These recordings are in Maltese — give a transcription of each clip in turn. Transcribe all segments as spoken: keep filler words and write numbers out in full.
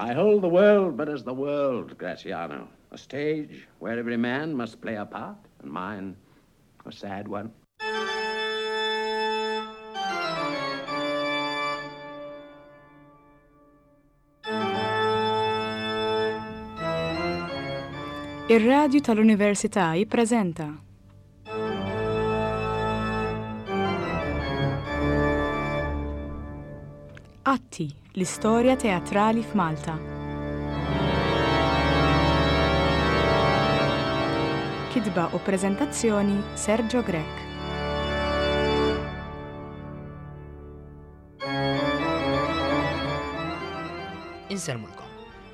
I hold the world but as the world, Graziano, a stage where every man must play a part, and mine a sad one. Ir-Radju tal-Università jippreżenta Atti, l-istorja teatrali f'Malta. Kitba u preżentazzjoni Sergio Grech. Insellmulkom.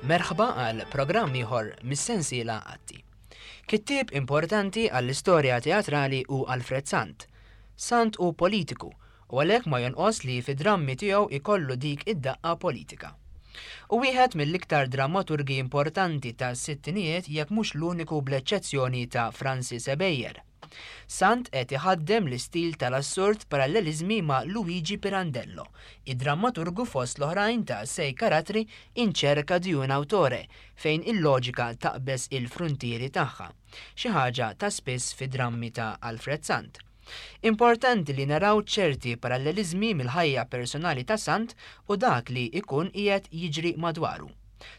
Merħba għal programm ieħor mis-sensiela Atti. Kittieb importanti għall-istorja teatrali hu Alfred Sant. Sant hu politiku u għalhekk ma jonqos li fid-drammi tiegħu ikollu dik id-daqqa politika. U wieħed mill-iktar drammaturgi importanti tas-sittinijiet jekk mhux l-uniku bl-eċċezzjoni ta' Francis Ebejer. Sant qed iħaddem l-istil tal-assurd paralleliżmi ma' Luigi Pirandello, id-drammaturgu fost l-oħrajn ta' Sei Caratteri in cerca di un autore, fejn il-loġika taqbeż il-fruntieri tagħha, xi ħaġa ta' spiss fid-drammi ta' Alfred Sant. Importanti li naraw ċerti paralleliżmi mill-ħajja personali ta' Sant u dak li jkun qiegħed jiġri madwaru.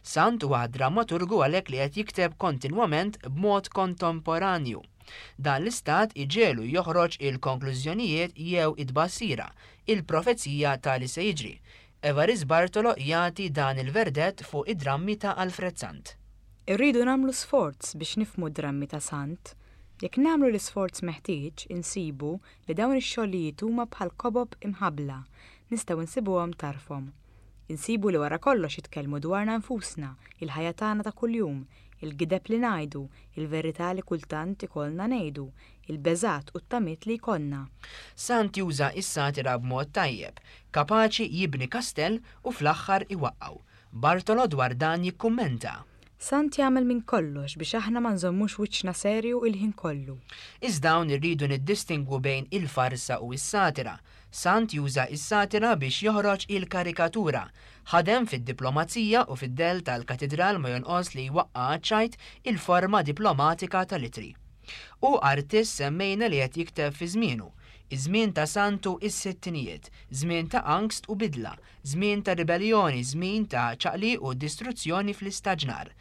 Sant huwa drammaturgu għalhekk li qed jikteb kontinwament b'mod kontemporanju. Dan l-istat iġegħlu joħroġ il-konklużjonijiet jew it-tbassira, il-profezija ta' li se jiġri. Evarist Bartolo jagħti dan il-verdett fuq id-drammi ta' Alfred Sant. Irridu nagħmlu sforz biex nifhmu d-drammi ta' Sant. Jekk nagħmlu l-isforz meħtieġ, insibu li dawn ix-xogħlijiet huma bħal kobob imħabbla, nistgħu nsibuhom tarfhom. Insibu li wara kollox jitkellmu dwarna nfusna, il-ħajja tagħna ta' kuljum, il-gideb li ngħidu, il-verità li kultant ikollna ngħidu, il-beżat u t-tamiet li jkollna. Sant juża s-satira b'mod tajjeb, kapaċi jibni kastell u fl-aħħar iwaqqgħu. Bartolo dwar dan jikkummenta. Sant jagħmel minn kollox biex aħna ma nżommux wiċċna serju il-ħin kollu. Iżda hawn irridu niddistingwu bejn il-farsa u s-satira. Sant juża s-satira biex joħroġ il-karikatura. Ħadem fid-diplomazija u fid-dell tal-katidral ma jonqos li jwaqqa' għaċ-ċajt il-forma diplomatika tal-itri. U artist semmejna li qed jikteb fi żmienu. Iż-żmien ta' Sant hu s-sittinijiet, żmien ta' angst u bidla, żmien ta' ribellioni, żmien ta' ċaqliq u distruzzjoni fl-istaġnar.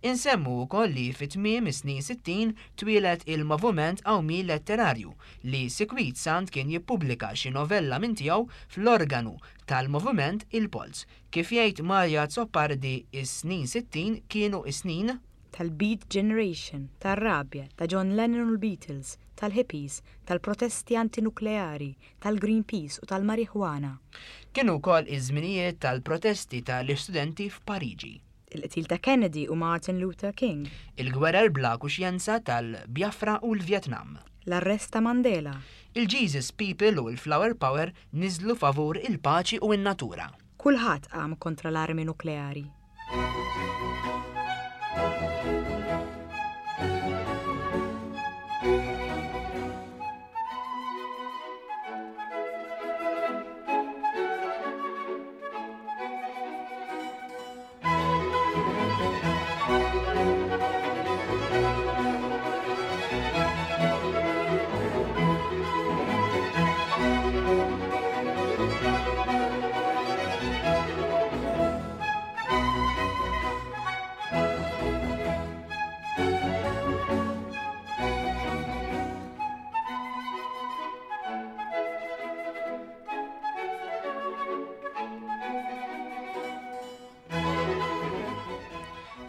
Insemmu wkoll li fi tmiem is-snin sittin twieled il-moviment qawmi letterarju li sikwit Sant kien jippubblika xi novella minn tiegħu fl-organu tal-moviment Il-Polz. Kif jgħid Mario Azzopardi, is-snin sittin kienu is-snin tal-Beat Generation, tar-rabja, ta' John Lennon u l-Beatles, tal-hippies, tal-protesti antinukleari, tal-Greenpeace u tal-marijuana. Kienu wkoll iż-żminijiet tal-protesti tal-istudenti f'Pariġi. Il-qtil ta' Kennedy u Martin Luther King. Il-gwerer bla kuxjenza tal-Biafra u l-Vietnam. L-arrest ta' Mandela. Il-Jesus People u l-Flower Power niżlu favur il-paċi u n-natura. Kulħadd qam kontra l-armi nukleari.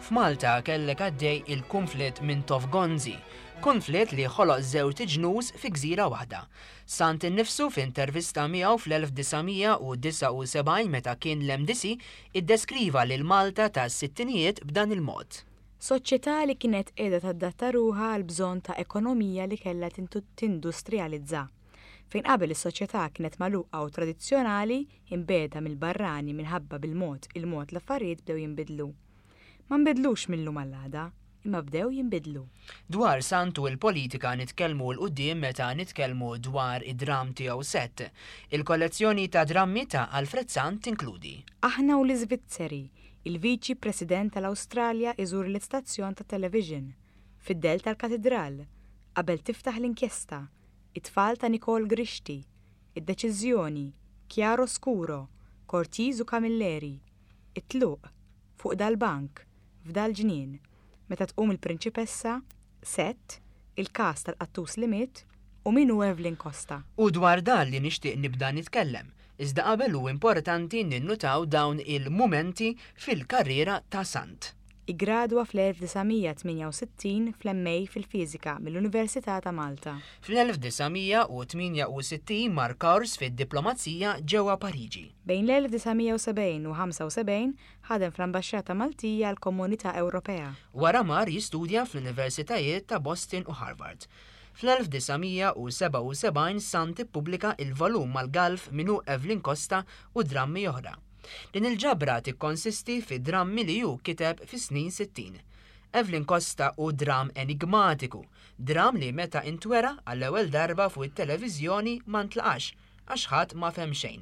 F'Malta kellek għaddej il-konflitt Mintoff Gonzi, konflitt li ħoloq żewġ ġnus fi gżira waħda. Sant innifsu f'intervista miegħu fl-elf disa' mija u disgħa u sebgħin meta kien l-M D C iddeskriva lil Malta tas-sittinijiet b'dan il-mod. Soċjetà li kienet qiegħda tadatta ruħha għal bżonn ta' ekonomija li kellha tintu-, tindustrializza. Fejn qabel is-soċjetà kienet magħluqa u tradizzjonali, imbeda mill-barrani minħabba bil-mod il-mod l-affarijiet bdew jinbidlu. Ma nbidlux mill-lum għall-għada, imma bdew jinbidlu. Dwar Sant u l-politika nitkellmu 'l quddiem meta nitkellmu dwar id-dram tiegħu Sett. Il-kollezzjoni ta' drammi ta' Alfred Sant tinkludi Aħna u l-Iżvizzeri, Il-Viċi President tal-Awstralja iżur l-istazzjon ta' television. Fid-dell tal-Katidral. Qabel tiftaħ l-inkjesta. It-tfal ta' Nicole Grixti. Id-deċiżjoni. Chiaro Scuro. Cortese u Camilleri. It-tluq. Fuq dal-bank. F'dal-ġnien. Meta tqum il-prinċipessa. Sett. Il-kas tal-qattus li miet. U min hu Evelyn Costa. U dwar dan li nixtieq nibda nitkellem, iżda qabel hu importanti ninnutaw dawn il-mumenti fil-karriera ta' Sant. Igradwa fl-elf disa' mija tmienja u sittin fl-M A fil-Fiżika mill-Università ta' Malta. Fl-elf disa' mija tmienja u sittin mar kors fid-diplomazija ġewwa Pariġi. Bejn l-elf disa' mija u sebgħin u ħamsa u sebgħin ħadem fl-Ambaxxata Maltija għall Komunità Ewropea. Wara mar jistudja fl-Universitajiet ta' Boston u Harvard. Fl-elf disa' mija sebgħa u sebgħin Sant ippubblika il-volum mal-Galf Min hu Evelyn Costa u drammi oħra. Din il-ġabra tikkonsisti fi drammi li hu kiteb fi snin sittin. Evelyn Costa hu dram enigmatiku, dram li meta intwera għall-ewwel darba fuq it-televiżjoni ma ntlaqax għax ħadd ma fehem xejn.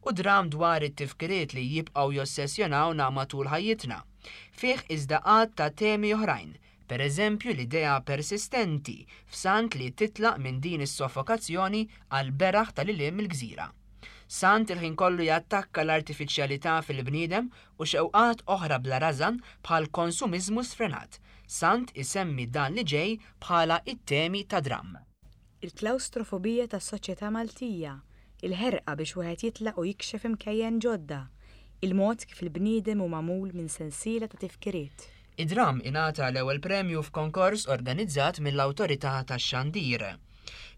U dram dwar it-tifkiriet li jibqgħu jossessjonawna matul ħajjitna. Fih iżda għadd ta' temi oħrajn, per eżempju l-idea persistenti f'Sant li titlaq minn din is-soffokazzjoni għal beraħ tal-ilim mill-gżira. Sant il-ħin kollu jattakka l-artifiċjalità fil-bniedem u xewqat oħra bla rażan bħal konsumiżmu sfrenat. Sant isemmi dan li ġej bħala it-temi ta' dram. Il-klaustrofobija tas-soċjetà Maltija, il-ħerqa biex wieħed jitlaq u jikxef imkejjen ġodda, il-mod kif il-bniedem hu magħmul minn sensiela ta' tifkiriet. Id-dram ingħata l-ewwel premju f'konkors organizzat mill-Awtorità tax-Xandir.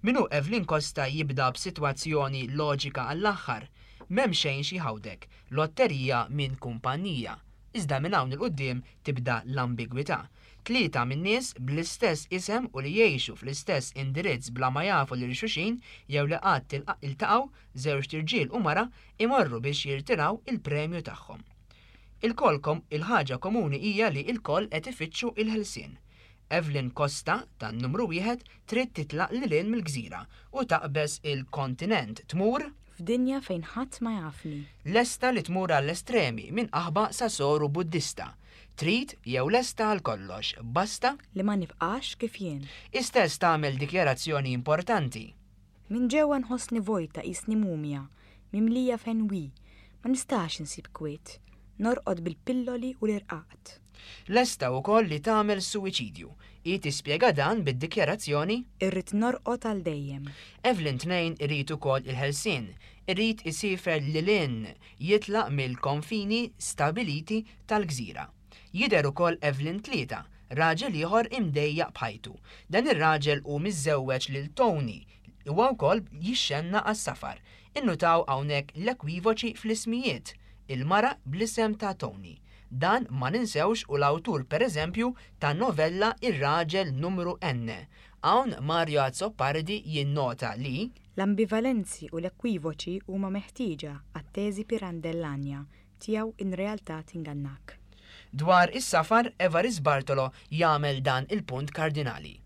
Min hu Evelyn Costa jibda b'sitwazzjoni loġika għall-aħħar. M'hemm xejn xi ħawdek, lotterija minn kumpanija. Iżda minn hawn 'il quddiem tibda l-ambigwità. Tlieta minn nies bl-istess isem u li jgħixu fl-istess indirizz bla ma jafu lil xulxin jew li qatt iltaqgħu, żewġt irġiel u mara, imorru biex jirtiraw il-premju tagħhom. Ilkoll il-ħaġa komuni hija li ilkoll qed ifittxu il-ħelsien. Evelyn Costa tan numru wieħed trid titlaq lil hinn mill-gżira u taqbeż il-kontinent, tmur f'dinja fejn ħadd ma jafni. Lesta li tmur għall-estremi, minn qaħba sa soru Buddista. Trid jew lesta għal kollox, basta li ma nibqax kif jien. Istess tagħmel dikjarazzjoni importanti. Minn ġewwa nħossni vojta, qisni mumja, mimlija fenwi, ma nistax insib kwiet, norqod bil-pilloli u l-irqaqt. Lesta wkoll li tagħmel suwiċidju. Hi tispjega dan bid-dikjarazzjoni: "Irrid norqod għal dejjem." Evelyn tnejn irid ukoll il-ħelsien, irid isiefer lil hinn, jitlaq mill-konfini stabiliti tal-gżira. Jidher ukoll Evelyn tlieta, raġel ieħor imdejjaq b'ħajtu. Dan ir-raġel hu miżżewweġ lil Tony, huwa wkoll jixxenna għas-safar. Innutaw hawnhekk l-ekwivoċi fl-ismijiet, il-mara bl-isem ta' Tony. Dan ma ninsewx hu l-awtur, per eżempju, ta' novella Ir-raġel numru N. Hawn Mario Azzopardi jinnota li l-ambivalenzi u l-ekwivoċi huma meħtieġa għat-teżi Pirandellanja tiegħu in realtà tingannak. Dwar is-safar, Evarist Bartolo jagħmel dan il-punt kardinali.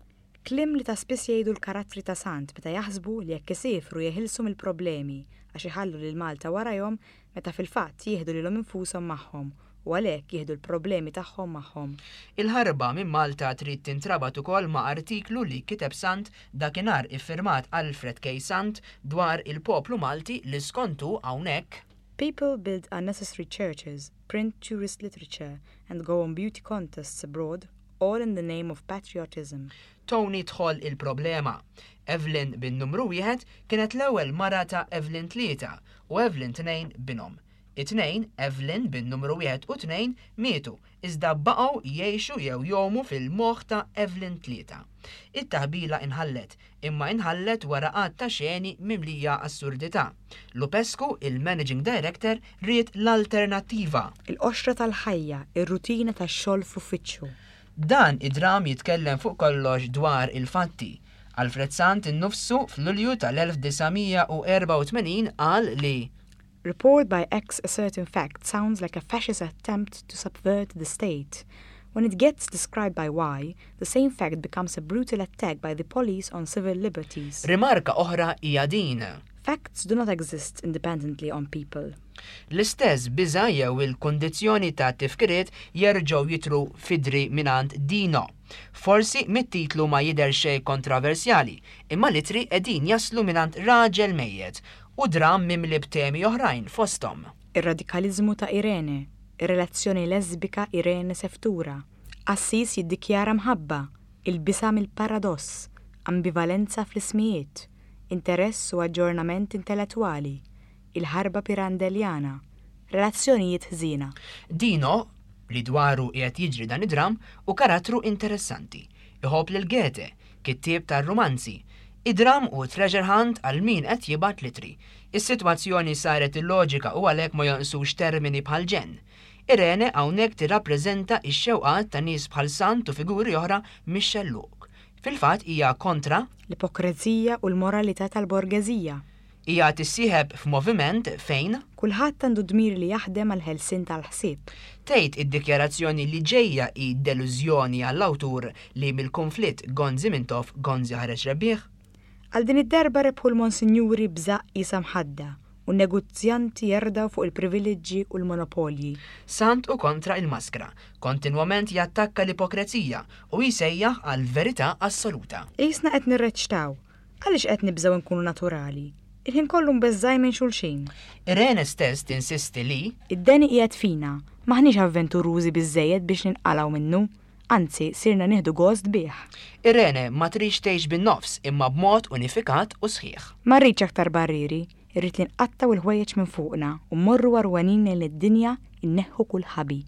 Kliem li ta' spiss jgħidu l-karattri ta' Sant meta jaħsbu li jekk isifru jeħilsu mill-problemi għax iħallu lil Malta warajhom, meta fil-fatt jieħdu lilhom infushom magħhom u għalhekk jieħdu l-problemi tagħhom magħhom. Il-ħarba minn Malta trid tintrabat ukoll ma' artiklu li kiteb Sant dakinhar iffirmat Alfred K. Sant dwar il-poplu Malti li skontu hawnhekk People build unnecessary churches, print tourist literature, and go on beauty contests abroad, all in the name of patriotism. Tony tħoll il-problema. Evelyn bin numru wieħed kienet l-ewwel mara ta' Evelyn tlieta u Evelyn tnejn binhom. It-tnejn, Evelyn bin numru wieħed u tnejn, mietu, iżda baqgħu jgħixu jew jgħumu fil-moħħ ta' Evelyn tlieta. It-taħbila inħallet, imma inħallet wara għadd ta' xeni mimlija assurdità. Lupescu, il-managing director, ried l-alternattiva. Il-qoxra tal-ħajja, ir-rutina tax-xogħol f'uffiċċju. Dan id-dram jitkellem fuq kollox dwar il-fatti. Alfred Sant innifsu fl-Lulju tal-elf disa' mija u erbgħa u tmenin qal li Report by X a certain fact sounds like a fascist attempt to subvert the state. When it gets described by Y, the same fact becomes a brutal attack by the police on civil liberties. Rimarka oħra hija din. Facts do not exist independently on people. L-istess biża' jew il-kundizzjoni ta' tifkiriet jerġgħu jitru f'idri mingħand Dino. Forsi mit-titlu ma jidher xejn kontroversjali, imma l-ittri qegħdin jaslu mingħand raġel mejjet u dramm mimli b'temi oħrajn fosthom. Ir-radikaliżmu ta' Irene, ir-relazzjoni lesbika Irene Seftura, qassis jiddikjara mħabba, il-biża' mill-paradoss, ambivalenza fl-ismijiet, interess u aġġornament intellettwali, il-ħarba pirandelljana, relazzjonijiet ħżiena. Dino, li dwaru qiegħed jiġri dan id-dramm, hu karattru interessanti. Iħobb lil Goethe, kittieb tar-rumanzi. Id-dramm hu treasure hunt għal min qed jibgħat l-ittri. Is-sitwazzjoni saret illoġika u għalhekk ma jonqsux termini bħal ġenn. Irene hawnhekk tirrappreżenta x-xewqat ta' nies bħal Sant u figuri oħra mix-xellug. Fil-fatt hija kontra l-ipokrezija u l-moralità tal-borgeżija. Hija tissieħeb f'moviment fejn kulħadd għandu dmir li jaħdem għal ħelsien tal-ħsieb. Tgħid id-dikjarazzjoni li ġejja hi delużjoni għall-awtur li mill-konflitt Gonzi Mintoff Gonzi ħareġ rebbieħ? Għal din id-darba rebħu l-monsinjuri b'żaqq qisha mħadda u n-negozjanti jerdaw fuq il-privileġġi u l-monopolji. Sant u kontra il-maskra, kontinwament jattakka l-ipokrezija u jsejjaħ għal verità assoluta. Qisna qed nirreċtaw, għaliex qed nibżgħu nkunu naturali? Il-ħin kollu mbeżżgħin minn xulxin. Irene stess tinsisti li id-deni qiegħed fina, maħniex avventurużi biżżejjed biex ninqalgħu minnu, anzi sirna nieħdu gost bih. Irene ma tridx tgħix bin-nofs imma b'mod unifikat u sħiħ. Ma rridx aktar barrieri, irrid li nqattgħu l-ħwejjeġ minn fuqna u mmorru għarwenin lejn id-dinja inneħħu kull ħabi.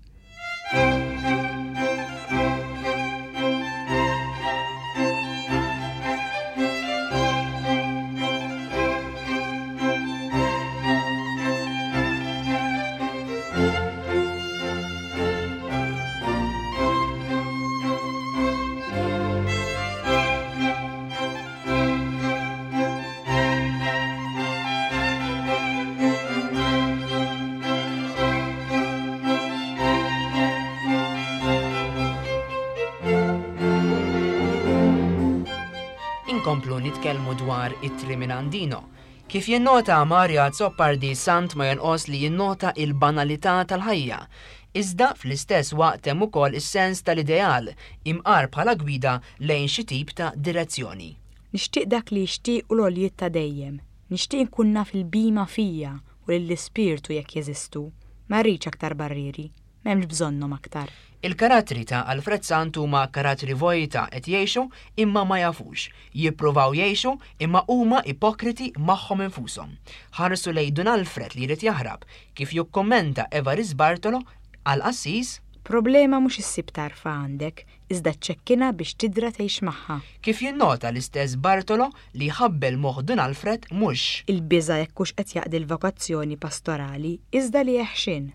Inkomplu nitkellmu dwar ittri minn Dino. Kif jinnota Mario Azzopardi, Sant ma jonqos li jinnota il-banalità tal-ħajja. Iżda fl-istess waqt hemm ukoll is-sens tal-ideal imqar bħala gwida lejn xi tip ta' direzzjoni. Nixtieq dak li jixtiequ l-għoljiet ta' dejjem. Nixtieq inkun naf il-bima fija u lill-ispirtu jekk jeżistu. Ma rridx aktar barrieri, m'hemmx bżonnhom aktar. Il-karattri ta' Alfred Sant huma karattri vojta qed jgħixu imma ma jafux, jippruvaw jgħixu imma huma ipokriti magħhom infushom. Ħarsu lejn Dun Alfred li jrid jaħrab, kif jikkummenta Evarist Bartolo għal qassis. Problema mhux issib tarfa għandek, iżda ċċekkina biex tidra tgħix magħha. Kif jinnota l-istess Bartolo li ħabbel moħħ Dun Alfred mhux il-biża' jekk hux qed jaqdi l-vokazzjoni pastorali, iżda li jeħxin.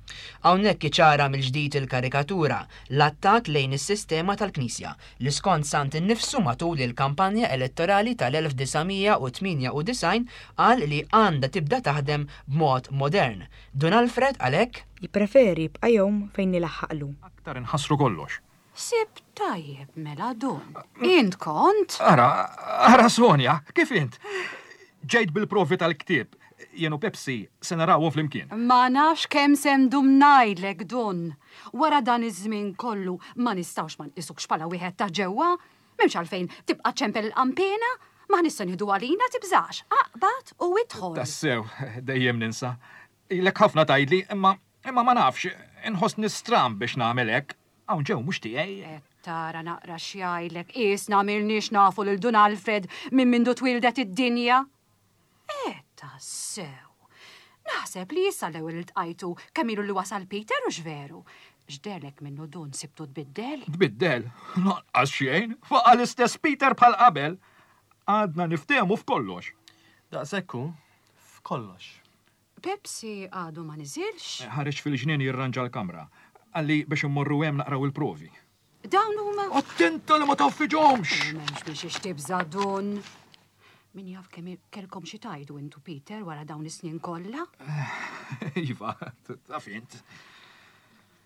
Hawnhekk iċara mill-ġdid il-karikatura, l-attakk lejn is-sistema tal-Knisja li skont Sant innifsu matul il-kampanja elettorali tal-elf disa' mija u tmienja u disgħin qal li għandha tibda taħdem b'mod modern. Dun Alfred għalhekk jippreferi jibqa' jgħum fejn nilaħħaqlu. Aktar inħassru kollox. Sib tajjeb mela Dun. Int kont? Ara, ara Sonja, kif int? Ġejt bil-provi tal-ktieb. Jien u Pepsi se narawhom flimkien. Ma nafx kemm se ndum ngħidlek Dun. Wara dan iż-żmien kollu ma nistgħux ma nqisukx bħala wieħed ta' ġewwa. M'hemmx għalfejn tibqa' ċempel il-qampina, ma nistgħu nieħdu għalina tibżax. Aqbad u idħol. Tassew, dejjem ninsa. Ilek ħafna tgħidli, imma, imma ma nafx, inħossni stramb biex nagħmel hekk. Hawn ġew mhux tiegħi. Qed tara naqra x'jgħidlek, qisna m'ilniex nafu lil Dun Alfred minn mindu twildet id-dinja. Qed tassew. Naħseb li issa l-ewwel iltqajtu kemm ilu li wasal Peter u x'veru. X'derlek minnu Dun sibtu tbiddel? Tbiddel? Lanqas xejn, baqa' l-istess Peter bħal qabel. Għadna niftehmu f'kollox. Daqshekk hu, f'kollox. Pepsi għadu ma niżilx? Ħareġ fil-ġnien jirranġa l-kamra. Qalli biex immorru hemm naqraw il-provi. Dawn huma? Attenta li ma taffiġhomx! M'hemmx biex ixtibża Dun. Min jaf kemm kellkom xi tgħidu intu Peter wara dawn is-snin kollha? Iva, taf int.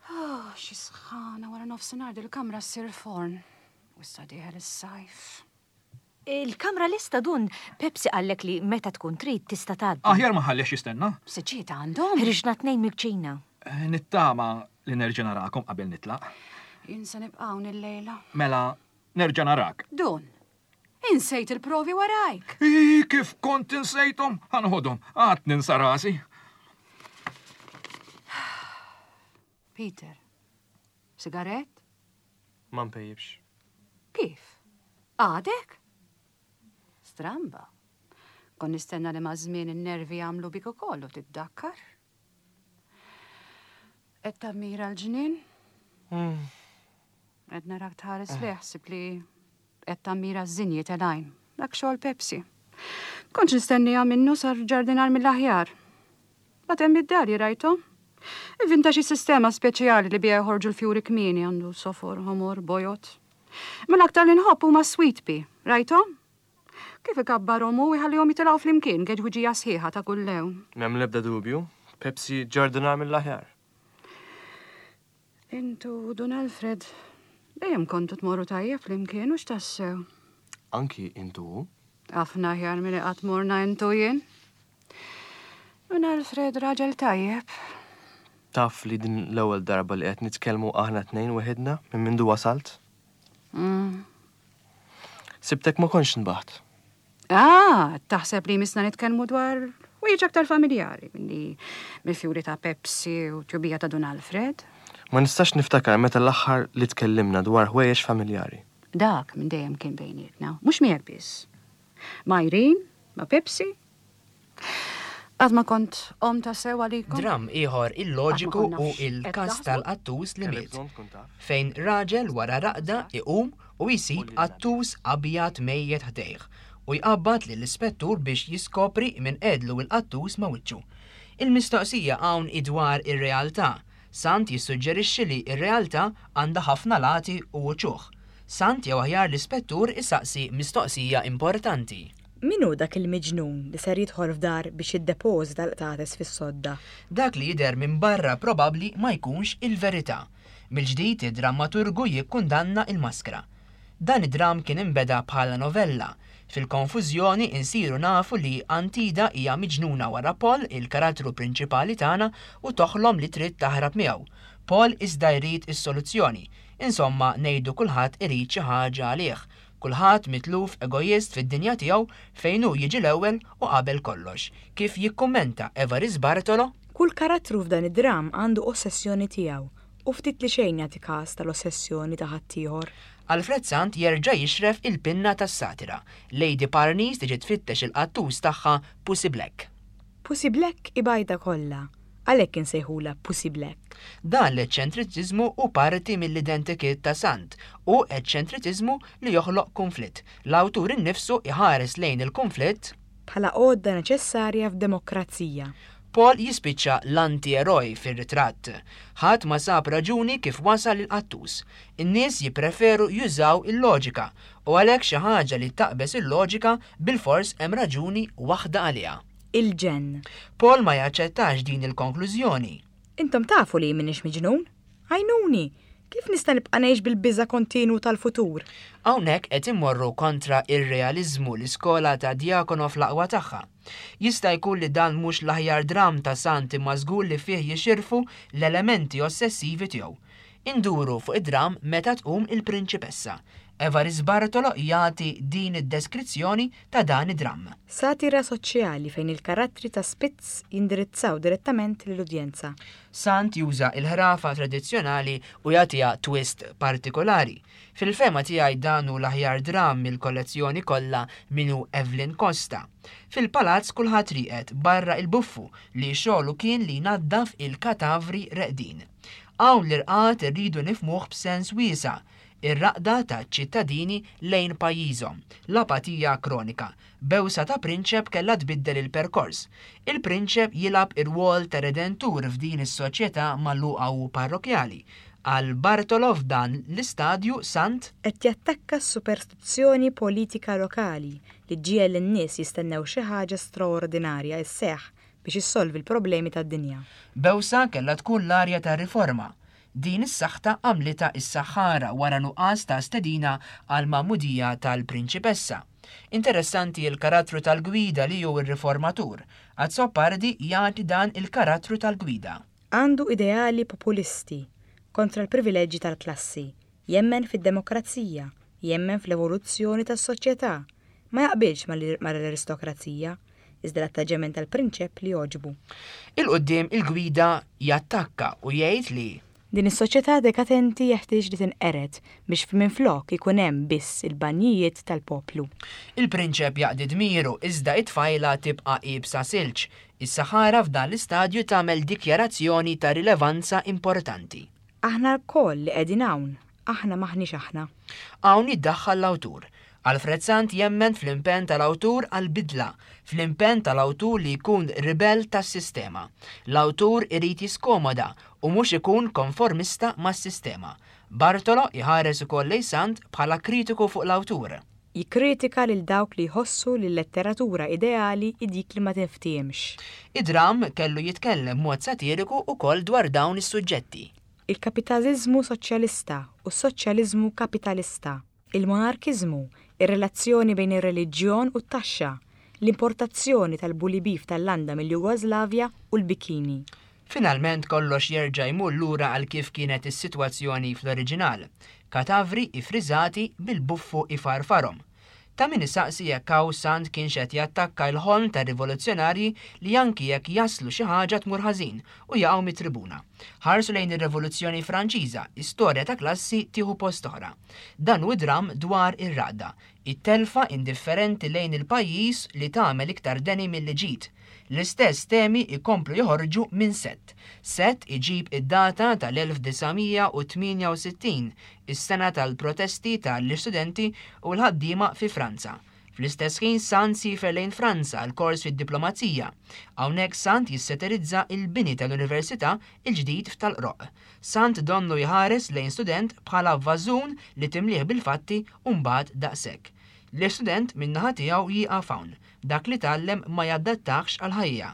Oh, xi sħana wara nofsinhar dil-kamra ssir forn. U issa dieħel is-sajf. Il-kamra lesta dun, Pepsi qallek li meta tkun trid tista' tgħaddi. Aħjar ma ħallix jistenna. Siġġiet għandhom. Ħriġna tnejn mill-kċina. Eh, Nittama li nerġa' narakom qabel nitlaq. Jien se nibqa' hawn illejla. Mela, nerġa' narak. Dun, insejt il-provi warajk. Ii, kif kont insejthom? Ħa noħodhom, għad ninsa rasi. Peter, sigarett? Ma npejjibx. Kif? Għadek? Stramba. Kon nistenna li maż-żmien in-nervi jagħmlu bik ukoll u tiddakkar. Qed tammira l-ġnien? Qed narak tħares lejh ħsib li qed tammira ż-żinji telgħin. Dak xogħol Pepsi. Kontx nistennija minnu sar ġardinar mill-aħjar. Bat hemm id-dar rajthom. Ivvinta xi sistema speċjali li biha joħorġu l-fjuri kmieni għandu sofor, ħomor, bojod. Ma l-aktar li nħobb huma sweet pea, rajthom? Kif ikabbarhom u jħallihom jitilgħu flimkien geġwiġija sħiħa ta' kull lewn. M'hemm l-ebda dubju, Pepsi ġardinar mill-aħjar. Intu Dun Alfred, dejjem kontu tmorru tajjeb flimkien u x'tassew. Anki intu hu. Ħafna aħjar milli qatt morna intu jien. Dun Alfred raġel tajjeb. Taf li din l-ewwel darba li qed nitkellmu aħna tnejn weħidna minn mindu wasalt? Mm. Sibtek ma kontx nbaħt. Ah, taħseb li misna nitkellmu dwar wieġ aktar familjari minni mill-fjuri ta' Pepsi u tjubija ta' Dun Alfred. Ma nistax niftakar meta l-aħħar li tkellimna dwar ħwejjeġ familjari. Dak minn dejjem kien bejnietna, mhux miegħek biss. Ma' Irene, ma' Pepsi. Qatt ma kont om ta' sew għalikom. Dramm ieħor illoġiku Qatt ma konna u fx- qed il-każ taħsbu? tal-qattus li Kellek miet, bżonn tkun taf. fejn raġel wara raqda iqum u jsib qattus abjad mejjet ħdejh u jqabbad lill-ispettur biex jiskopri minn qedlu il-qattus ma' wiċċu. Il-mistoqsija hawn idwar ir-realtà. Sant jissuġġerixxi li r-realtà għandha ħafna lati u uċuħ. Sant jew aħjar l-ispettur isaqsi mistoqsija importanti. Min hu dak il-miġnun li ser jidħol f'dar biex jiddepożita l-qtates fis-sodda? Dak li jidher minn barra probabbli ma jkunx il-verità. Mill-ġdid id-drammaturgu jikkundanna il-maskra. Dan id-dram kien imbeda bħala novella. Fil-konfużjoni insiru nafu li Antida hija miġnuna wara Paul, il-karattru prinċipali tagħna, u toħlom li trid taħrab miegħu. Paul iżda jrid is-soluzzjoni. Insomma, ngħidu kulħadd irid xi ħaġa għalih. Kulħadd mitluf egoist fid-dinja tiegħu fejn hu jiġi l-ewwel u qabel kollox. Kif jikkummenta Evarist Bartolo? Kull karattru f'dan id-dram għandu ossessjoni tiegħu u ftit li xejn jagħti każ tal-ossessjoni ta' ħaddieħor. Alfred Sant jerġa' jixref il-pinna tas-satira. Lady Parnis tiġi tfittex il-qattus tagħha Pussy Black. Pussy Black ibajda kollha, għalhekk insejħulha Pussy Black. Dan l-eċċentriċiżmu hu parti mill-identikit ta' Sant u eċċentriċiżmu li joħloq konflitt. L-awtur innifsu iħares lejn il-konflitt Bħala għodda neċessarja f'demokrazija. Paul jispiċċa l-anti-eroj fir-ritratt. Ħadd ma sab raġuni kif wasal il-qattus. In-nies jippreferu jużaw il-loġika u għalhekk xi ħaġa li taqbeż il-loġika bilfors hemm raġuni waħda għaliha. Il-ġenn. Paul ma jaċċettax din il-konklużjoni. Intom tafu li m'iniex miġnun? Għajnuni! Kif nista' nibqa' ngħix bil-biża' kontinwu tal-futur? Hawnhekk qed immorru kontra ir-realiżmu l-iskola ta' Diakono fl-aqwa tagħha. Jista' jkun li dan mhux l-aħjar dram ta' Sant imma żgur li fih jixirfu l-elementi ossessivi tiegħu. Induru fuq id-dram meta tqum il-prinċipessa. Evarist Bartolo jagħti din id-deskrizzjoni ta' dan id-dram. Satira soċjali fejn il-karattri ta' Spitz jindirizzaw direttament lill-udjenza. Sant juża il-ħrafa tradizzjonali u jagħtiha twist partikolari. Fil-fehma tiegħi dan hu l-aħjar dram mill-kollezzjoni kollha minnu Evelyn Costa. Fil-palazz kulħadd rieqed barra il-buffu li xogħlu kien li jnaddaf il-katavri reqdin. Hawn l-irqad irridu nifhmuh b'sens wiesa', ir-raqda ta' ċittadini lejn pajjiżhom, l-apatija kronika. Bewsa ta' prinċep kellha tbiddel il-perkors. Il-prinċep jilgħab ir-rwol ta' redentur f'din is-soċjetà magħluqa u parrokjali. Għal Bartolo f'dan l-istadju Sant Qed jattakka s-superstizzjoni politika lokali li ġiegħel lin-nies jistennew xi ħaġa straordinarja sseħħ biex issolvi l-problemi tad-dinja. Bewsa kellha tkun l-arja ta' riforma. Din is-saħta għamlitha is-saħħara wara nuqqas ta' stedina għal magħmudija tal-prinċipessa. Interessanti l-karattru tal-Gwida li hu r-riformatur. Azzopardi jagħti dan il-karattru tal-Gwida. Għandu ideali populisti kontra l-privileġġi tal-klassi, jemmen fid-demokrazija, jemmen fl-evoluzzjoni tas-soċjetà, ma jaqbilx mal-aristokrazija, iżda l-attaġġament tal-prinċep li jogħġbu. 'Il quddiem il-Gwida jattakka u jgħid li Din is-soċjetà dekadenti jeħtieġ li tinqered biex minflok ikun hemm biss il-banjijiet tal-poplu. Il-prinċep jaqdi dmiru iżda it-tfajla tibqa' iebsa silġ. Is-Saħara f'dan l-istadju tagħmel dikjarazzjoni ta' rilevanza importanti. Aħna lkoll li qegħdin hawn, aħna m'aħniex aħna. Hawn jiddaħħal l-awtur. Alfred Sant jemmen fl-impenn tal-awtur għall-bidla, fl-impenn tal-awtur li jkun ribell tas-sistema. L-awtur irid jiskomoda u mhux ikun konformista mas-sistema. Bartolo jħares ukoll lejn Sant bħala kritiku fuq l-awtur. Jikkritika lil dawk li jħossu li l-letteratura ideali hi dik li ma tinftiehemx. Id-dramm kellu jitkellem b'mod satiriku wkoll dwar dawn is-suġġetti. Il-kapitaliżmu soċjalista u s-soċjaliżmu kapitalista, il-monarkiżmu, ir-relazzjoni bejn ir-reliġjon u t-taxxa, l-importazzjoni tal-bully beef tal-landa mill-Jugoslavja u l-bikini. Finalment kollox jerġa' jmur lura għal kif kienet is-sitwazzjoni fl-oriġinal. Katavri ifriżati bil-buffu ifarfarhom. Ta' min isaqsi jekk hawn Sant kienx qed jattakka l-ħolm tar-rivoluzzjonarji li anki jekk jaslu xi ħaġa tmur ħażin u jaqgħu mit-tribuna. Ħarsu lejn ir-Rivoluzzjoni Franċiża, istorja ta' klassi tieħu post oħra. Dan hu dramm dwar ir-raqda, it-telfa indifferenti lejn il-pajjiż li tagħmel iktar deni milli ġid. L-istess temi jkomplu joħorġu minn Sett. Sett iġib id-data tal-elf disa' mija u tmienja u sittin, is-sena tal-protesti tal-istudenti u l-ħaddiema fi Franza. Fl-istess ħin Sant siefer lejn Franza għal kors fid-diplomazija. Hawnhekk Sant jissatirizza il-bini tal-Università il-ġdid f'Tal-Qroqq. Sant donnu jħares lejn student bħala vażun li timlih bil-fatti u mbagħad daqshekk. L-istudent min-naħa tiegħu jieqaf hawn, dak li tgħallem ma jadattax għall-ħajja.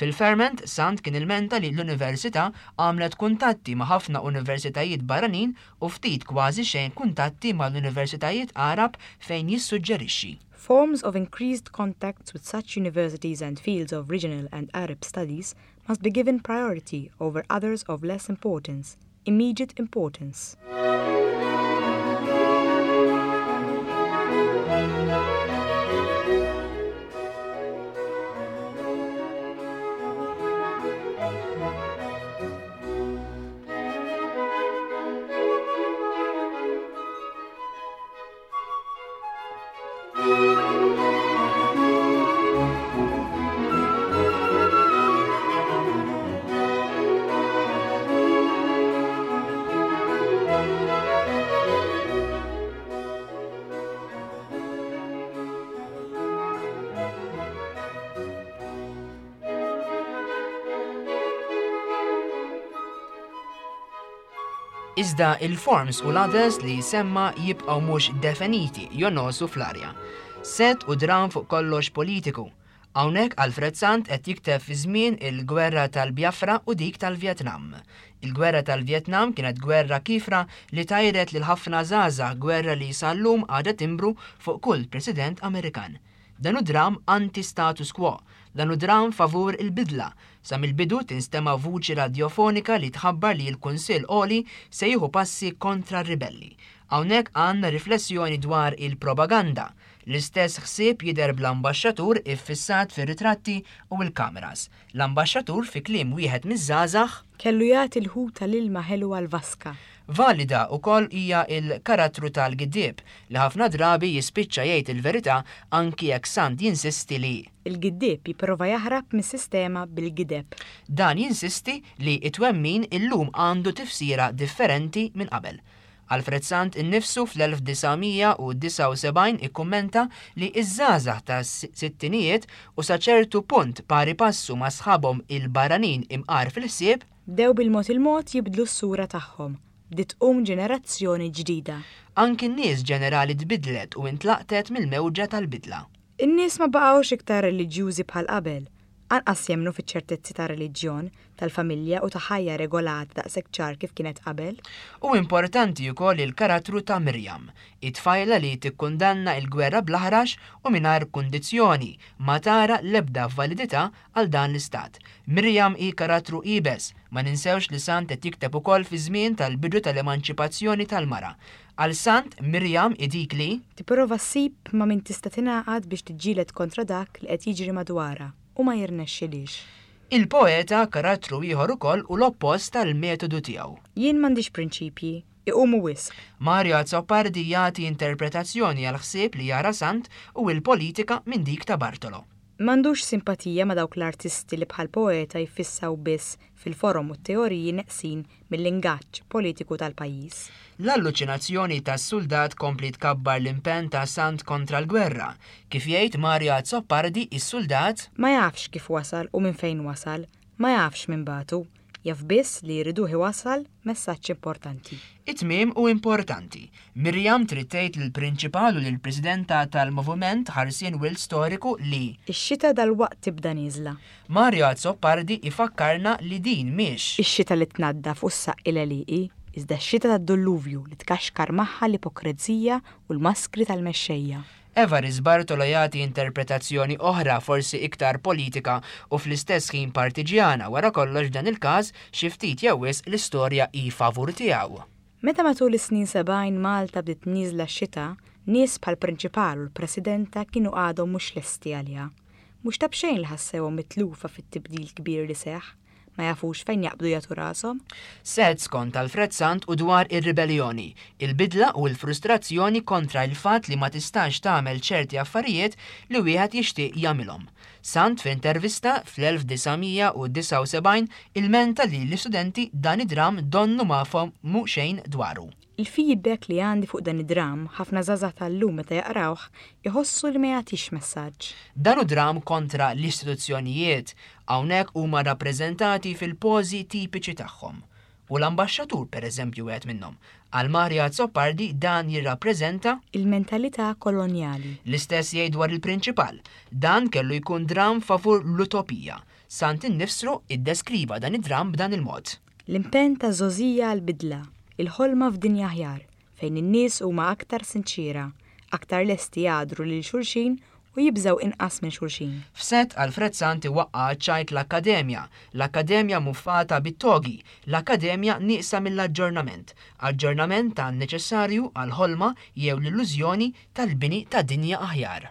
Fil-ferment, Sant kien ilmenta li l-università għamlet kuntatti ma' ħafna universitajiet barranin u ftit kważi xejn kuntatti mal-universitajiet Għarab fejn jissuġġerixxi. Forms of increased contacts with such universities and fields of regional and Arab studies must be given priority over others of less importance, immediate importance. Iżda il-forms u l-others li semma jibqgħu mhux definiti jonosu fl-arja. Sett u dram fuq kollox politiku. Hawnhekk Alfred Sant qed jikteb fi żmien il-gwerra tal-Biafra u dik tal-Vjetnam. Il-gwerra tal-Vjetnam kienet gwerra kifra li tajret lil ħafna żgħażagħ, gwerra li sal-lum għadha timbru fuq kull president Amerikan. Dan hu dram anti-status quo, dan hu dram favur il-bidla. Sa mill-bidu tinstema' vuċi radiofonika li tħabbar li l-Kunsill Għoli se jieħu passi kontra r-ribelli. Hawnhekk għandna riflessjoni dwar il-propaganda. L-istess ħsieb jidher bl-ambaxxatur iffissat fir-ritratti u l-kameras. L-ambaxxatur fi kliem wieħed miż-żgħażagħ kellu jagħti l-ħut tal-ilma ħelu għal-vaska. Valida wkoll hija l-karattru tal-giddieb li ħafna drabi jispiċċa jgħid il-verità anki jekk Sant jinsisti li il-giddieb jipprova jaħrab mis-sistema bil-gideb. Dan jinsisti li it-twemmin illum għandu tifsira differenti minn qabel. Alfred Sant innifsu fl-elf disa' mija u disgħa u sebgħin ikkummenta li iż-żgħażagħ ta' sittinijiet u sa ċertu punt pari passu ma' sħabhom il-barranin imqar fil-ħsieb bdew bil-mod il-mod jibdlu s-sura tagħhom. Bdiet tqum ġenerazzjoni ġdida. Anki n-nies ġenerali tbidlet u intlaqtet mill-mewġa tal-bidla. In-nies ma baqgħux iktar reliġjużi bħal qabel. Anqas jemmnu fiċ-ċertezzi ta' reliġjon, tal-familja u ta' ħajja regolata daqshekk ċar kif kienet qabel. U importanti wkoll il-karattru ta' Mirjam, it-tfajla li tikkundanna l-gwerra bl-aħrax u mingħajr kundizzjoni, ma tara l-ebda validità għal dan l-istat. Mirjam hi karattru iebes, ma ninsewx li Sant qed jikteb ukoll fi żmien tal-bidu tal-emanċipazzjoni tal-mara. Għal Sant, Mirjam hi dik li tipprova ssib ma' min tista' tingħaqad biex tiġġieled kontra dak li qed jiġri madwarha u ma jirnexxilhiex. Il-poeta karattru ieħor ukoll u l-oppost tal-metodu tiegħu. Jien m'għandix prinċipji, iqumu wisq. Mario Azzopardi jagħti interpretazzjoni għal ħsieb li jara Sant u l-politika minn dik ta' Bartolo. M'għandux simpatija ma' dawk l-artisti li bħal poeta jfissaw biss fil-forom u t-teoriji neqsin mill-ingaġġ politiku tal-pajjiż. L-alluċinazzjoni tas-suldat kompli tkabbar l-impenn ta' Sant kontra l-gwerra. Kif jgħid Mario Azzopardi, is-suldat ma jafx kif wasal u minn fejn wasal, ma jafx minn batu, jaf biss li jriduh iwassal messaġġ importanti. It-tmiem hu importanti. Mirjam trid tgħid lill-prinċipal u lill-presidenta tal-Moviment Ħarsien Wild Storiku li ix-xita dalwaqt tibda nieżla. Mario Azzopardi ifakkarna li din mhix ix-xita li tnaddaf u ssaqqi l-għelieqi, iżda x-xita tad-dulluvju li tkaxkar magħha l-ipokrezija u l-maskri tal-mexxejja. Evarist Bartolo jagħti interpretazzjoni oħra, forsi iktar politika u fl-istess ħin partiġjana, wara kollox f'dan il-każ xi ftit jew wisq l-istorja hi favur tiegħu. Meta matul is-snin sebgħin Malta bdiet nieżla x-xita, nies bħal prinċipal u l-presidenta kienu għadhom mhux lesti għaliha. Mhux ta' b'xejn li ħassewhom mitlufa fit-tibdil kbir li seħħ, ma jafux fejn jaqbdu jagħtu rashom. Sett skont Alfred Sant u dwar ir-ribellioni, il-bidla u l-frustrazzjoni kontra il-fatt li ma tistax tagħmel ċerti affarijiet li wieħed jixtieq jagħmilhom. Sant f'intervista fl-elf disa' mija u disgħa u sebgħin ilmenta li l-istudenti dan id-dram donnu ma fehmu xejn dwaru. Il-feedback li għandi fuq dan id-dram ħafna żgħażagħ tal-lum meta jaqrawh iħossu li ma jagħtix messaġġ. Dan hu dram kontra l-istituzzjonijiet, hawnhekk huma rappreżentati fil-pożi tipiċi tagħhom. U l-ambaxxatur pereżempju wieħed minnhom. Għal Mario Azzopardi dan jirrappreżenta il-mentalità kolonjali. L-istess jgħid dwar il-prinċipal. Dan kellu jkun dram favur l-utopija. Sant innifsru iddeskriva dan id-dram b'dan il-mod. L-impenn ta' żgħożija għall-bidla, il-ħolma f'dinja aħjar, fejn in-nies huma aktar sinċiera, aktar lesti jgħadru lil xulxin u jibżgħu inqas minn xulxin. F'sett Alfred Sant iwaqqa' ċajt l-Akkademja, l-Akkademja muffata bit-togi, l-Akkademja nieqsa mill-aġġornament, aġġornament tan neċessarju għall-ħolma jew l-illużjoni tal-bini ta' dinja aħjar.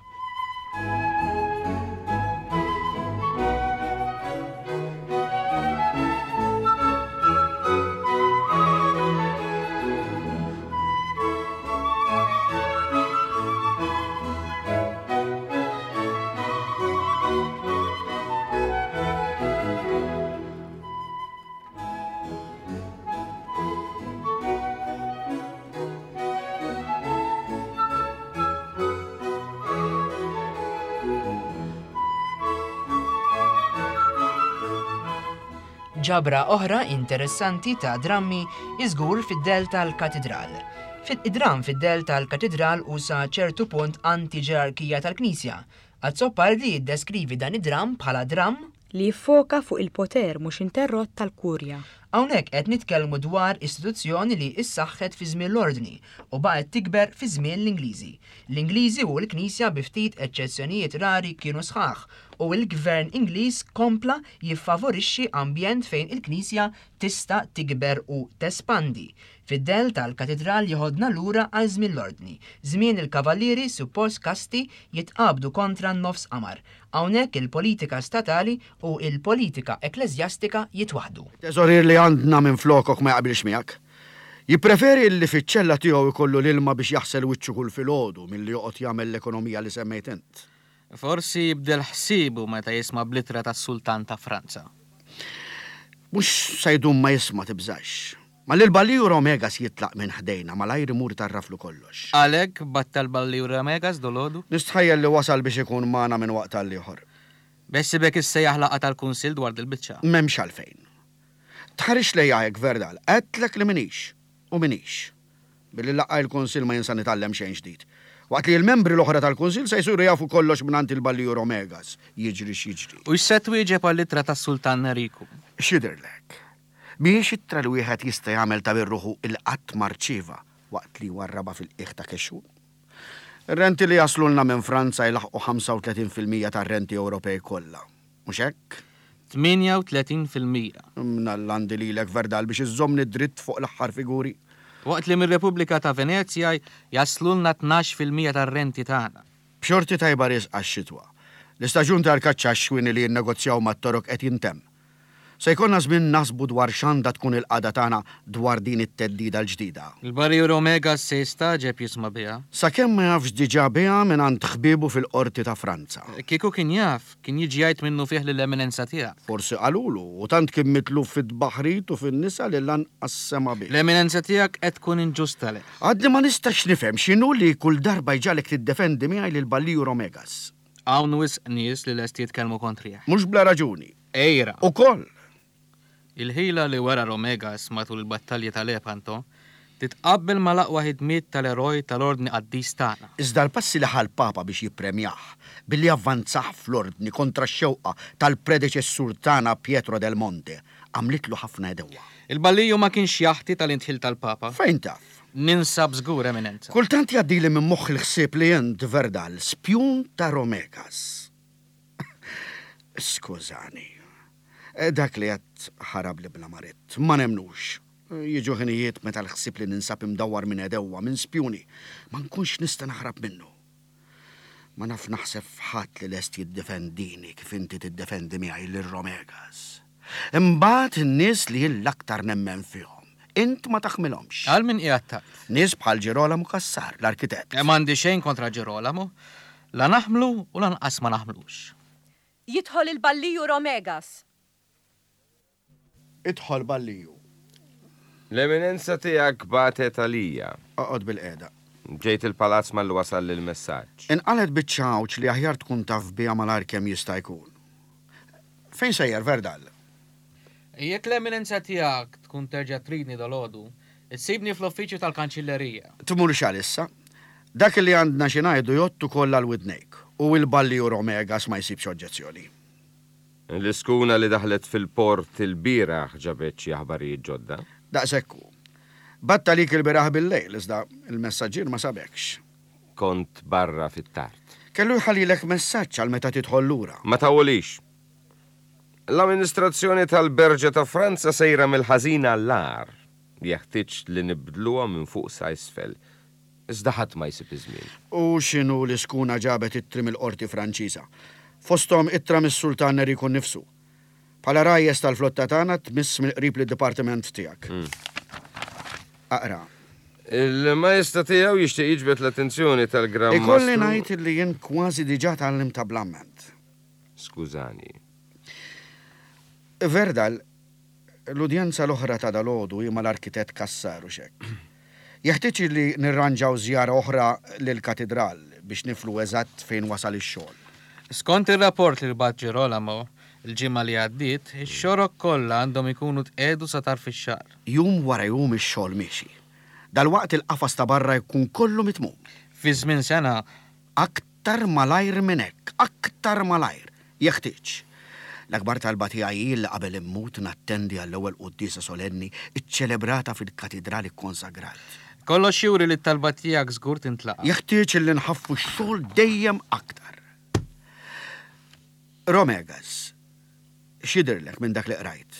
Ġabra oħra interessanti ta' drammi iżgur fid-del tal-Katidral. Fid-dram fid-del tal-Katidral u sa ċertu punt anti-ġerarkija tal-Knisja. Azzopardi jiddeskrivi dan id-dram bħala dram li jiffoka fuq il-poter mhux interrott tal-Kurja. Hawnhekk qed nitkellmu dwar istituzzjoni li issaħħet fi żmien l-Ordni u baqgħet tikber fi żmien l-Ingliżi. L-Ingliżi u l-Knisja bi ftit eċċezzjonijiet rari kienu sħaħ u l-Gvern Ingliż kompla jiffavorixxi ambjent fejn il-Knisja tista' tikber u tespandi. Fid-del tal-Katidral jieħodna lura għal żmien l-Ordni. Żmien il-Kavallieri suppost kasti jitqabdu kontra n-nofs qamar. Hawnhekk il-politika statali u il-politika ekkleżjastika jitwaħdu. Teżorier li għandna minn flokok ma jaqbilx miegħek. Jippreferi li fiċ-ċella tiegħu jkollu l-ilma biex jaħsel wiċċu kull filgħodu milli joqgħod jagħmel l-ekonomija li semmejt int. Forsi jibdel ħsiebu meta jisma' bl-ittra tas-Sultan ta' Franza. Mhux se jdum ma jisma' tibżax. Ma lil Balliur Omegas jitlaq minn ħdejna malajr imur tarraflu kollox. Għalhekk battal Balliur Omegas dolodu? Nistħajjel li wasal biex ikun magħna minn waqt għal ieħor. Bessibek issejjaħ laqgħa tal-Kunsill dwar dil-biċċa. M'hemmx għalfejn. Tħarix lejja hekk Verdal, għedtlek li minix u minix. Billi laqgħa l-Kunsill ma jinsa nitgħallem xejn ġdid. Waqt li l-membri l-oħra tal-Kunsill se jsiru jafu kollox mingħand il-Balliju Romegas, jiġri x'jiġri. U x'se twieġeb għall-ittra tas-Sultan Neriku? X'jidhirlek? Mhijiex ittra li wieħed jista' jagħmel ta' bir-ruħu il qatt ma rċieva waqt li warrabha fil-qiegħ ta' kexxun. Ir-renti li jaslulna minn Franza jlaħqu ħamsa u tletin fil-mija tar-renti Ewropej kollha. Mhux hekk? Tmienja u tletin fil-mija. Mnalla għandi lilek Verdal biex iżżommni dritt fuq l-aħħar figuri. Waqt li mir-Repubblika ta' Venezja jaslulna tnax fil-mija tar-renti tagħna. B'xorti tajba riesqa x-xitwa. L-istaġun tal-kaċċa għax-xwieni li jinnegozjaw mat-Torok qed jintemm. Se jkollna żmien naħsbu dwar x'għandha tkun il-qagħda tagħna dwar din it-theddida l-ġdida. Il-Barrier Romegas se jistagħġeb jisma' biha. Sakemm ma jafx diġà biha mingħand ħbiebu fil-qorti ta' Franza. Kieku kien jaf, kien jiġi jgħid minnu fih lill-eminenza tiegħek. Forsi qalulu, u tant kien mitluf fit-tbaħrit u fin-nisa li lanqas sema' bih. L-eminenza tiegħek qed tkun inġusta leh. Għadni ma nistax nifhem x'inhu li kull darba jġagħlek tiddefendi miegħi lil Balliju Romegas. Hawn wisq nies li lesti jitkellmu kontrih. Mhux bla raġuni. Ejra. Ukoll. Il-ħila li wera Romegas matul il-battalji ta' Lepanto titqabbel mal-aqwa ħidmiet tal-eroj tal-ordni qaddis tagħna. Iżda l-passi li ħa l-Papa biex jippremjah billi avvanzah fl-ordni kontra x-xewqa tal-predeċessur tagħna Pietro del Monte għamlitlu ħafna edewwa. Il-Balliju ma kienx jaħti tal-intħil tal-Papa. Fejn taf? Ninsab żgur, Eminenza. Kultant jgħaddili minn moħħi l-ħsieb li int Verdal, spjun ta' Romegas. Skużani. Dak li qed ħarab li bla marit, ma nemnux. Jiġu ħinijiet meta l-ħsieb li ninsab imdawwar minn edewwa, minn spjuni, ma nkunx nista' naħrab minnu. Ma naf naħseb f'ħadd li lest jiddefendini kif inti tiddefendi miegħi lil Romegas. Imbagħad in-nies li jien l-aktar nemmen fihom, int ma taħmilhomx. Għal min qiegħed tgħid? Nies bħal Girolamo Cassar, l-arkitett. Eh, m'għandi xejn kontra Girolamo, la naħmlu u lanqas ma naħmlux. Jidħol il-Balliju Romegas. Idħol Balliju. L-eminenza tiegħek batet għalija. Oqgħod bil-qiegħda. Ġejt il-palazz malli wasal il-messaġġ. Inqalet biċċa għawġ li aħjar tkun taf biha malajr kemm jista' jkun. Fejn sejjer Verdal? Jekk l-eminenza tiegħek tkun terġa' tridni dalgħodu, issibni fl-uffiċċju tal-kanċillerija. Tmur x'għalissa? Dak li għandna xi ngħidu jgħottu kollha l-widnejk u l-Balliju Romegas ma jsibx oġġezzjoni. L-iskuna li daħlet fil-port il-bieraħ ġabet xi aħbarijiet ġodda. Daqshekk hu. Batta lik il-bieraħ bil-lejl, iżda il-messaġġier ma sabekx. Kont barra fit-tard. Kellu jħallilek messaġġ għal meta tidħol lura. Ma tawulix. L-amministrazzjoni tal-Berġa ta' Franza sejra mill-ħażin għall-agħar. Jeħtieġ li nibdluha minn fuq sa isfel. Iżda ħadd ma jsib iż-żmien. U x'inhu l-iskuna ġabet ittri mill-qorti Franċiża? Fosthom ittra mis-Sultan Neriku nnifsu. Bħala rajjes tal-flotta tagħna tmiss mill-qrib lid-dipartiment tiegħek. Mm. Aqra. Il-majesta tiegħu jixtieq jiġbed l-attenzjoni tal-Gran Ikolli Mastru. ngħid li jien kważi diġà tgħallimt ta' blamment. Skużani. Verdal, l-udjenza l-oħra ta' dalgħodu hi mal-arkitett Cassar u xek. Jeħtieġ li nirranġaw żjara oħra lill-katedral biex niflu eżatt fejn wasal ix-xogħol. Skont ir-rapport li bagħat Girolamo il-ġimgħa li għaddiet, ix-xorok kollha għandhom ikunu tqegħdu sa tarf ix-xahar. Jum wara jum ix-xogħol miexi. Dalwaqt il-qafas ta' barra jkun kollu mitmum. Fi żmien sena. Aktar malajr minn hekk, aktar malajr, jeħtieġ. L-akbar talba tiegħi hi li qabel immut nattendi għall-ewwel quddiesa solenni iċċelebrata fil-katidrali konsagrat. Kollox juri li t-talba tiegħek żgur tintlaqa'. Jeħtieġ li nħaffu x-xogħol dejjem aktar. Romegas, x'jidhirlek minn dak li qrajt?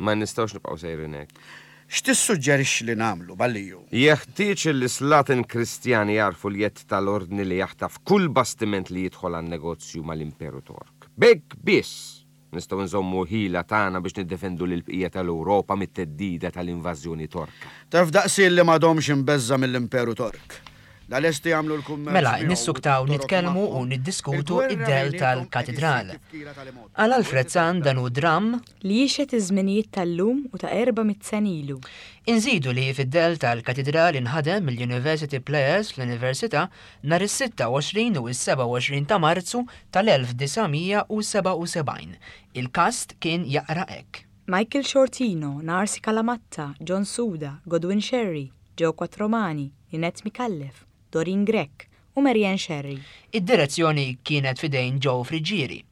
Ma nistgħux nibqgħu sejrin hekk. X'tissuġġerixxi li nagħmlu, Balliju? Jeħtieġ li slaten Kristjani jarfu l-jett tal-ordni li jaħtaf kull bastiment li jidħol għan-negozju mal-Imperu Tork. B'hekk biss nistgħu nżommu ħila tagħna biex niddefendu lill-bqija tal-Ewropa mit-theddida tal-invażjoni Torka. Taf daqsi li m'għadhomx imbeżża mill-Imperu Tork. La lesti jagħmlu l-kummerċ Mela, miegħu nissuktaw u t-torok nitkellmu u magħhom. niddiskutu Il-gwerra id-del bejniethom qed tal-katedral. issir tifkira tal-imgħoddi. Għal Alfred Sant dan hu dramm li jixhed iż-żminijiet tal-lum u ta' erba' mitt sena ilu. Inżidu li fid-del tal-katedral inħadem mill-University Players fl-Università nhar is-sitta u għoxrin u s-seba' u għoxrin ta' Marzu tal-elf disa' mija u seba' u sebgħin. Il-kast kien jaqra hekk. Michael Shortino, Narsi Calamatta, John Suda, Godwin Sherry, Joe Quattromani, Ninette Micallef, Doreen Grech u Marianne Scerri. Id-direzzjoni kienet f'idejn Joe Friggieri.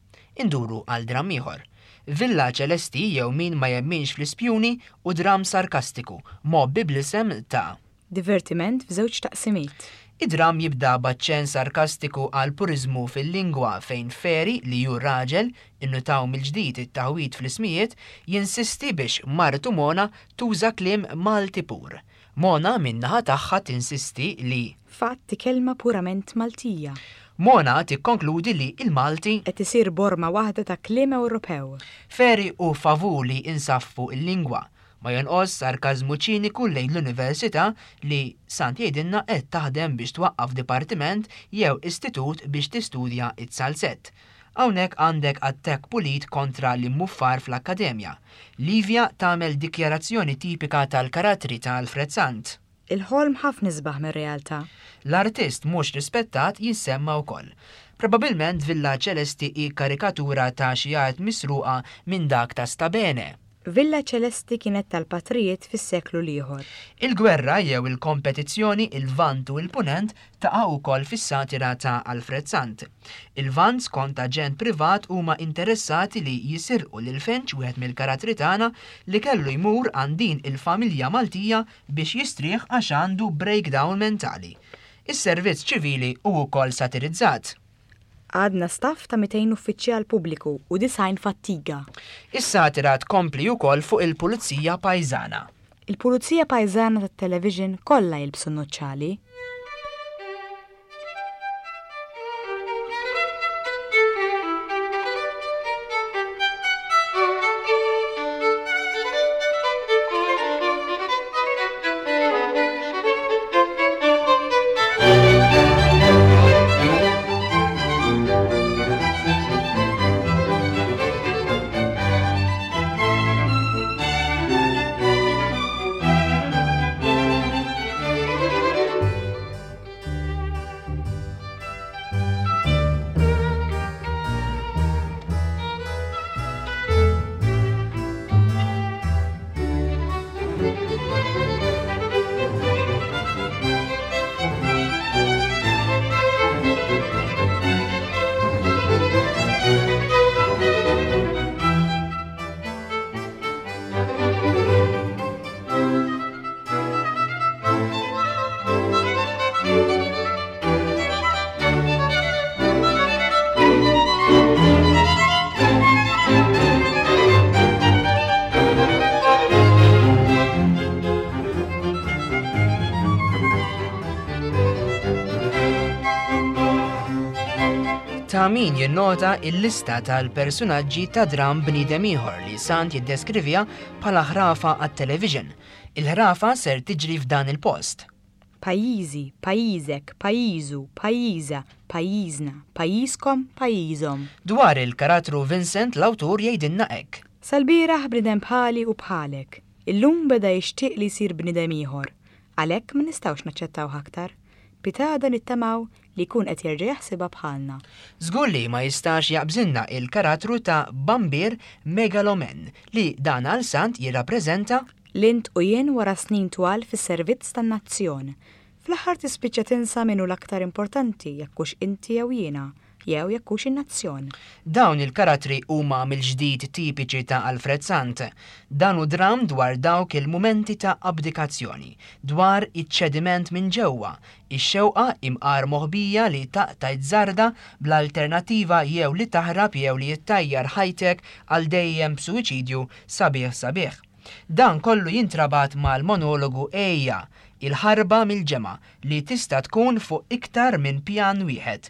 Induru għal dramm ieħor. Villa Ċelesti jew Min ma jemminx fl-ispjuni u dramm sarkastiku, mgħobbi bl-isem ta' Divertiment f'żewġ taqsimiet. Id-dramm jibda b'aċċenn sarkastiku għal puriżmu fil-lingwa fejn Feri li hu raġel, innutaw mill-ġdid it-taħwid fl-ismijiet, jinsisti biex martu Mona tuża kliem Malti pur. Mona min-naħa tagħha tinsisti li Fatt kelma purament Maltija. Mona tikkonkludi li il-Malti qed isir borma waħda ta' kliem Ewropew. Feri hu favur li insaffu il-lingwa. Ma jonqos sarkażmu ċiniku lejn l-università li Sant jgħidilna qed taħdem biex twaqqaf dipartiment jew istitut biex tistudja it-salzett. Hawnhekk għandek attakk pulit kontra l-immuffar fl-akkademja. Livia tagħmel dikjarazzjoni tipika tal-karattri ta' Alfred Sant. Il-ħolm ħafna isbaħ mir-realtà. L-artist mhux rispettat jissemma wkoll. Probabilment Villa Ċelesti hi karikatura ta' xi art misruqa minn dak ta' Stabene. Villa Ċelesti kienet tal-patrijiet fis-seklu l-ieħor. Il-gwerra jew il-kompetizzjoni il-Lvant u il-Punent taqa' wkoll fis-satira ta' Alfred Sant. Il-Lvant skont aġent privat huma interessati li jisirqu lil Finch wieħed mill-karattri tagħna li kellu jmur għand din il-familja Maltija biex jistrieħ għax għandu breakdown mentali. Is-servizz ċivili hu wkoll satirizzat. Għadna staff ta' mitejn uffiċjal pubbliku u disgħin fattiga. Is-satira tkompli wkoll fuq il-Pulizija Pajżana. Il-Pulizija Pajżana tat-television kollha jilbsu n-nuċċali. Ta' min jinnota il-lista tal-personaġġi ta' dramm bniedem ieħor li Sant jiddeskrivija bħala ħrafa għat-television. Il-ħrafa ser tiġri f'dan il-post. Pajjiżi, pajjiżek, pajjiżu, pajjiża, pajjiżna, pajjiżkom, pajjiżhom. Dwar il-karattru Vincent l-awtur jgħidilna hekk. Sal-bieraħ bniedem bħali u bħalek. Illum beda jixtieq li jsir bniedem ieħor. Għalhekk ma nistgħux naċċettawh aktar. Pitada nittamaw li jkun qed jerġa' jaħsibha bħalna. Żgur li ma jistax jaqbżilna il-karattru ta' Bambir Megalomen li dan għal Sant jirrappreżenta Lint u jien wara snin twal fis-servizz tan-nazzjon. Fl-aħħar tispiċċa tinsa min hu l-aktar importanti jekk hux inti jew jiena, jew jekk hux in-nazzjon. Dawn il-karattri huma mill-ġdid tipiċi ta' Alfred Sant. Dan hu dramm dwar dawk il-mumenti ta' abdikazzjoni, dwar iċ-ċediment minn ġewwa, ix-xewqa imqar moħbija li taqta' żarda bl-alternattiva jew li taħrab jew li jittajjar ħajtek għal dejjem b'suwiċidju sabiħ sabiħ. Dan kollu jintrabat mal-monologu Ejja, il-ħarba mill-ġemgħa li tista' tkun fuq iktar minn pjan wieħed.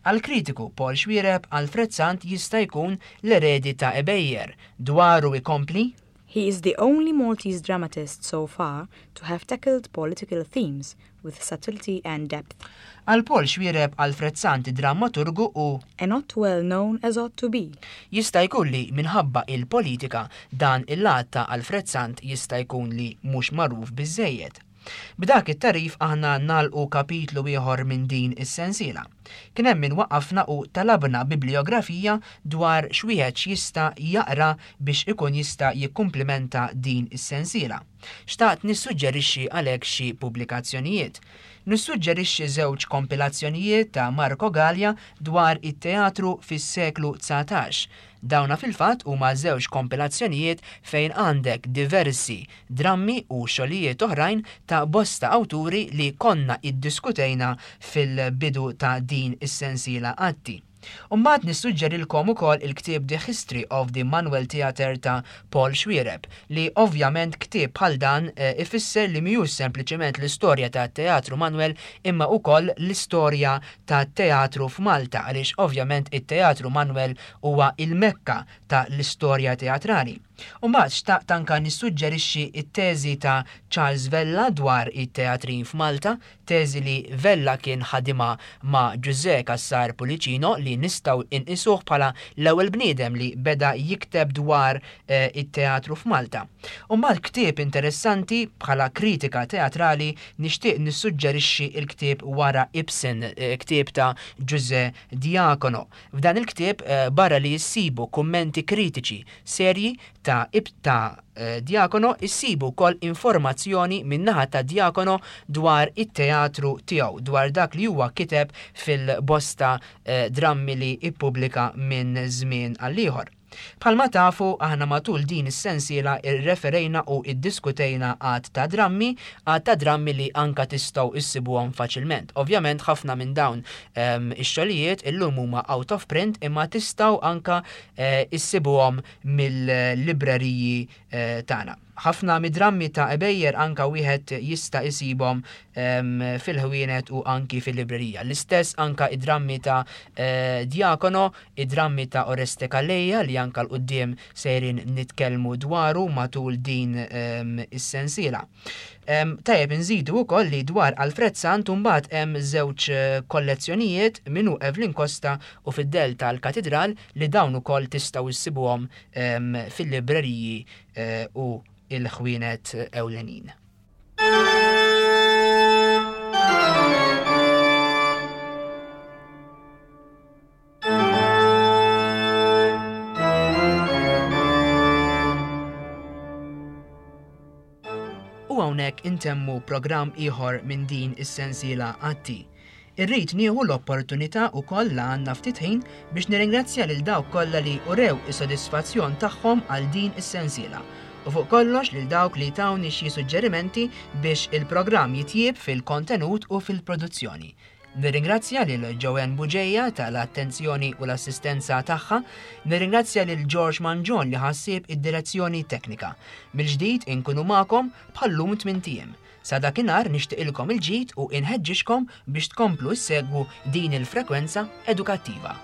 Għal-kritiku Paul Xuereb, Alfred Sant jista' jkun l-eredi ta' Ebejer. Dwaru ikompli? He is the only Maltese dramatist so far to have tackled political themes with subtlety and depth. Għal Paul Xuereb, Alfred Sant dramaturgu u And not well known as ought to be. Jista' jkun li minħabba il-politika dan il-lat ta' Alfred Sant jista' jkun li mhux magħruf biżżejjed. B'dak it-tagħrif aħna nagħlqu kapitlu ieħor minn din is-sensiela. Kien hemm min waqqafna u talabna bibliografija dwar x'wieħed jista' jaqra biex ikun jista' jikkumplimenta din is-sensiela. Xtaqt nissuġġerixxi għalhekk xi pubblikazzjonijiet. Nissuġġerixxi żewġ kompilazzjonijiet ta' Marco Gallia dwar it-teatru fis-seklu dsatax. Dawna fil-fatt huma żewġ kompilazzjonijiet fejn għandek diversi drammi u xogħlijiet oħrajn ta' bosta awturi li konna iddiskutejna fil-bidu ta' din is-sensiela Atti. U mbagħad nissuġġerilkom ukoll il-ktieb The History of the Manuel Theatre ta' Paul Xuereb, li ovvjament ktieb bħal dan, eh, ifisser li mhijiex sempliċement l-istorja ta' Teatru Manuel imma ukoll l-istorja ta' teatru f'Malta, għaliex ovvjament it-Teatru Manuel huwa il-mekka ta' l-istorja teatrali. U mbagħad xtaqt anka nissuġġerixxi t-teżi ta' Charles Vella dwar it-teatrin f'Malta, teżi li Vella kien ħadimha ma' Giuseppe Cassar Pullicino, li nistgħu inqisuh bħala l-ewwel bniedem li beda jikteb dwar, eh, it-teatru f'Malta. U mbagħad ktieb interessanti bħala kritika teatrali nixtieq nissuġġerixxi l-ktieb Wara Ibsen, eh, ktieb ta' Giuseppe Diacono. F'dan il-ktieb, eh, barra li jissibu kummenti kritiċi serji ta' Ib-, ta', eh, Diacono, issibu wkoll informazzjoni min-naħa ta' Diacono dwar it-teatru tiegħu, dwar dak li huwa kiteb fil-bosta, eh, drammi li ippubblika minn żmien għal ieħor. Bħalma tafu, aħna matul din is-sensiela irreferejna u iddiskutejna għadd ta' drammi, għadd ta' drammi li anka tistgħu issibuhom faċilment. Ovvjament ħafna minn dawn, ehm, ix-xogħlijiet illum huma out of print, imma tistgħu anka, eh, issibuhom mill-libreriji, eh, tagħna. Ħafna mid-drammi ta' Ebejer anka wieħed jista' isibhom, ehm, fil-ħwienet u anki fil-librerija. L-istess anka id-drammi ta', eh, Diacono, id-drammi ta' Oreste Calleja li anka l-quddiem sejrin nitkellmu dwaru matul din, ehm, is-sensiela. Ehm, tajjeb inżidu wkoll li dwar Alfred Sant imbagħad hemm żewġ, eh, kollezzjonijiet minnu Evelyn Costa u fid-Del tal-Katidral li dawn ukoll tistgħu issibuhom, ehm, fil-libreriji, eh, u il-ħwienet ewlenin. U hawnhekk intemmu programm ieħor minn din is-sensiela Atti. Irrid nieħu l-opportunità wkoll la għandna ftit ħin biex nirringrazzja lil dawk kollha li urew is-sodisfazzjon tagħhom għal din is-sensiela. U fuq kollox lil dawk li tawni xi suġġerimenti biex il-programm jitjieb fil-kontenut u fil-produzzjoni. Nirringrazzja lil Joanne Bugeja tal-attenzjoni u l-assistenza tagħha, nirringrazzja lil George Mangion li ħassieb id-direzzjoni teknika. Mill-ġdid inkunu magħkom bħallum tmien ijiem. Sa dakinhar nixtieqilkom il-ġid u inħeġġixkom biex tkomplu ssegwu din il-frekwenza edukattiva.